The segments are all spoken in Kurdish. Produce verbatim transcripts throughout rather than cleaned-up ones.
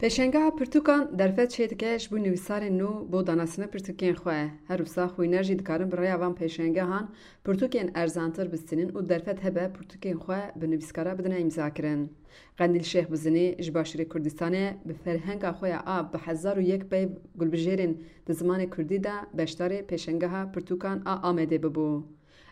Pêşengeha pirtûkan derfet çêdike ji bo nivîsarên nû bo danasîna pirtûkên xwe. Her wisa xwîner jî dikarin bi rêya van pêşengehan pirtûkên erzantir bistînin û derfet hebe pirtûkên xwe bi nivîskara bidine îmzakirin. Qendîl Şêx Bizinî ji Başûrê Kurdistanê bi ferhenga xwe ya a bi hezar û yek peyv gulbijêrên di zimanê kurdî de beşdarê pêşengeha pirtûkan a Amedê bibû.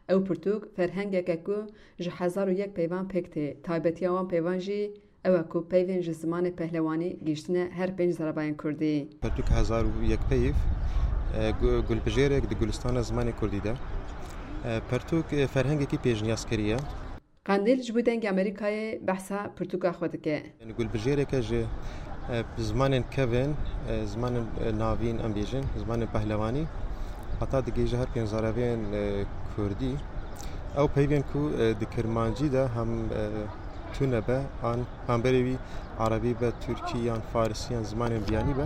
Ew pirtûk ferhengeke ku ji hezar û yek peyvan pêk tê. Taybetiya wan peyvan jî ew e ku peyvên ji zimanê pehlewanî gihîştine her pênc zaravayên kurdî. Pertûk hezar û yek peyv, e, gu-, gulbijêrek di gulistana zimanê kurdî de. E, pertûk, e, ferhengekî pêşniyazkirî ye. Qendîl ji bo Dengê Amerîkayê behsa pirtûka xwe dike. Yani gulbijêreke ji, e, zimanên kevin, e, zimanên, e, navîn, em bêjin, zimanên pehlewanî, heta digihîje her pênc zaravên, e, kurdî. Ew peyvên ku, e, di kirmancî de hem, e, tune be, an hemberê wî erebî be, tirkî yan farisî yan zimanên biyanî be.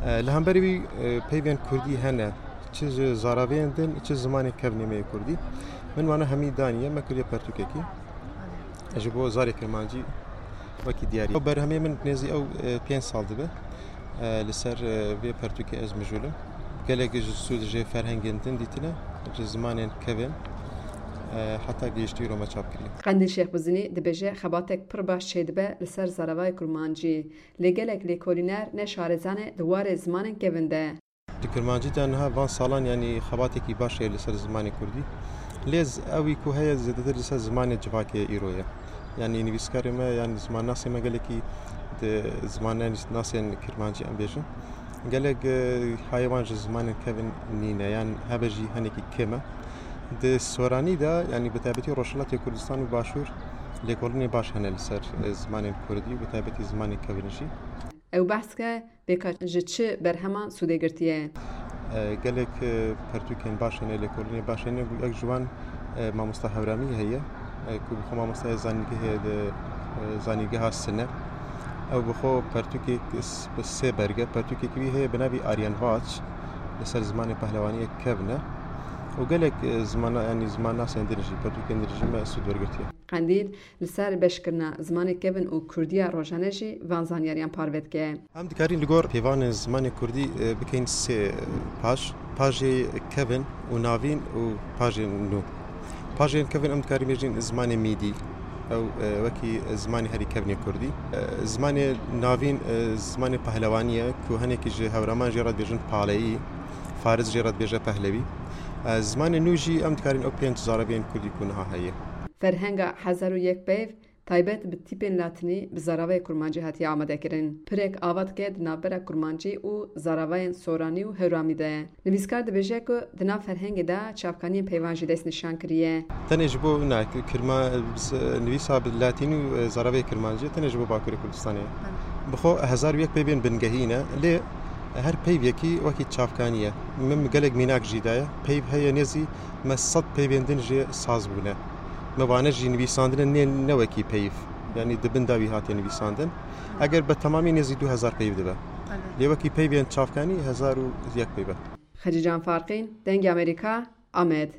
E, li hemberê wî, e, peyvên kurdî hene. Çi ji zaravên din, çi zimanê kevnê me yê kurdî. Min wana hemî daniye, me kiriye pertûkekî. Ji bo zarê kirmancî wekî diyarî. Ew berhemê min nêzî ew, e, pênc sal dibe. E, li ser, e, vê pertûkê ez mijûl im. Gelek ji sûd ji ferhengên din dîtine, ji zimanên kevin, e, heta gihiştî îro me çap kiriye. Qendîl Şêx Bizinî dibêje xebatek pir baş çêdibe li ser zaravayê kurmancî. Lê gelek lêkolîner ne şarezan e di warê zimanên kevin de. Di kirmancî de niha van salan, yanî xebatekî baş heye li ser zimanê kurdî. Lê z-, ew î ku heye zêdetir li ser zimanê civakê îro ye. Yanî nivîskarê me, yanî zimannasê me gelekî di zimannasên kirmancî em bêjin. Gelek, e, hayê wan ji zimanên kevin nîne, yan hebe jî hinekî kêm e. Di soranî de, yanî bi taybetî Rojhilatê Kurdistan û Başûr lêkolînê baş hene li ser, e, zimanên kurdî û bi taybetî zimanên kevin jî. Ew behs dike, Pêka ji çi berheman sûdê girtiye? E, gelek, e, pertûkên baş hene, lêkolînê baş hene, ku yek ji wan, e, mamosta Hewramî heye, e, ku bi xwe mamosta ye zanîngehê di, e, zanîngeha Sine. Ew bi xwe pertûkek s-, bi sê berg e, pertûkek wî heye bi navî Aryan Vaç, li ser zimanê pehlewaniyê kevn e. Û gelek, e, zimana-, yanî zimannasên din jî, pertûkên din jî me sûd wergirtiye. Qendîl, Li ser beşkirina zimanê kevin û kurdiya rojane jî van zanyariyan parve dike. Em dikarîn li gor peyvanên zimanê kurdî, e, bikeyn sê, e, paj. Pajê kevin û navîn û pajên nû. Pajên kevin em dikarîn bêjin zimanê mîdî. Ew, e, wekî zimanê herî kevnê kurdî. E, zimanê navîn, e, zimanê pehlewanî ye ku hinekî ji hewraman jê re dibêjin paleyî, faris jê re dibêje pehlewî. E, zimanê nû jî em dikarîn ew pênc zarevên kurdî ku niha heye. Ferhenga hezar û yek peyv taybet bi tîpên latînî bi zaravayê kurmancî hatiye amadekirin. Pirek ava dike di navbera kurmancî û zaravayên soranî û hewramî de. Nivîskar dibêje ku di nav ferhengê de çavkaniyên peyvan jî destnîşan kiriye. Tenê ji bo, na, kirma-, nivîsa bi latînî û, e, zaravayê kirmancî tenê ji bo Bakurê Kurdistanê ye. Bi xwe hezar û yek peyvên bingehî ne, lê her peyvekî wekî çavkanî ye. Min gelek mînak jî daye. Peyv heye nêzî me sed peyvên din jê saz bûne. Me vane jî nivîsandine nê ne wekî peyv. Yanî di bin de wî hatiye nivîsandin. Eger be temamî nêzî du hezar peyv dibe. Belê. Lê wekî peyvên çavkanî hezar û yek peyv e. Xecîcan Farqîn, Dengê Amerîka, Amed.